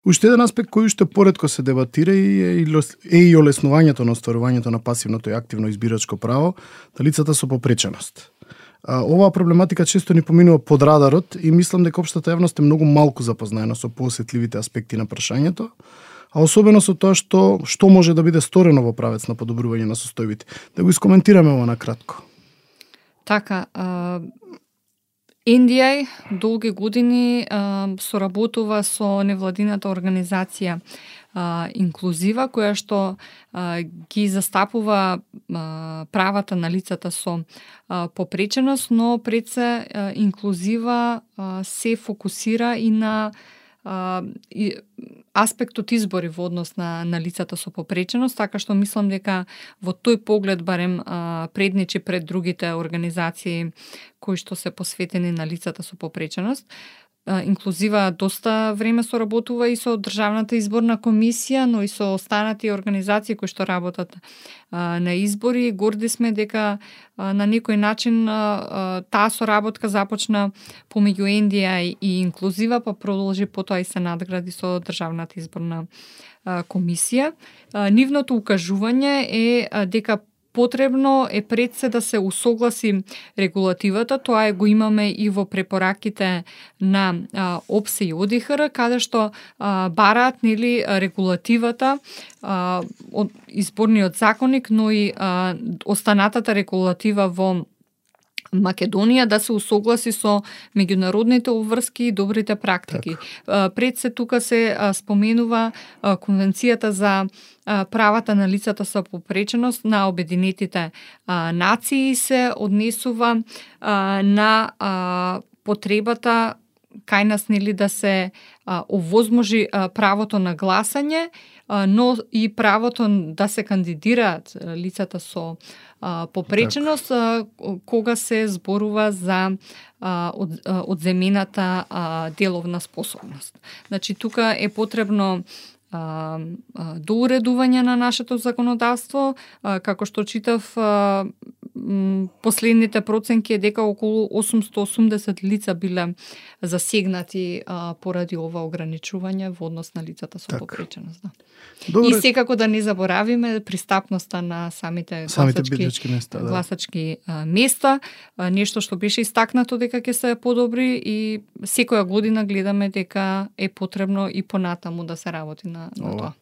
Уште еден аспект кој уште поретко се дебатира е и олеснувањето на остварувањето на пасивното и активно избирачко право на лицата со попреченост. Оваа проблематика често ни поминува под радарот и мислам дека општата јавност е многу малку запознаена со поосетливите аспекти на прашањето, а особено со тоа што може да биде сторено во правец на подобрување на состојбите. Да го искоментираме ова накратко. Така, NDI долги години соработува со невладината организација Инклузива, која што ги застапува правата на лицата со попреченост, но пред се Инклузива се фокусира и на аспектот избори во однос на лицата со попреченост, така што мислам дека во тој поглед барем предничи пред другите организации кои што се посветени на лицата со попреченост. Инклузива доста време соработува и со Државната изборна комисија, но и со останати организации кои што работат на избори. Горди сме дека на некој начин таа соработка започна помеѓу NDI и Инклузива, па продолжи потоа и се надгради со Државната изборна комисија. Нивното укажување е дека потребно е пред се да се усогласи регулативата, тоа го имаме и во препораките на ОПСЕ и ОДИХР, каде што бараат регулативата од изборниот законник, но и останатата регулатива во Македонија да се усогласи со меѓународните обврски и добрите практики. Пред се тука се споменува Конвенцијата за правата на лицата со попреченост на Обединетите нации, се однесува на потребата кај нас да се овозможи правото на гласање, но и правото да се кандидираат лицата со попреченост кога се зборува за одземената деловна способност. Значи тука е потребно доуредување на нашето законодавство, како што читав последните проценки е дека околу 880 лица биле засегнати поради ова ограничување во однос на лицата со попреченост. И секако да не заборавиме пристапноста на самите гласачки места, нешто што беше истакнато дека ќе се подобри и секоја година гледаме дека е потребно и понатаму да се работи на тоа.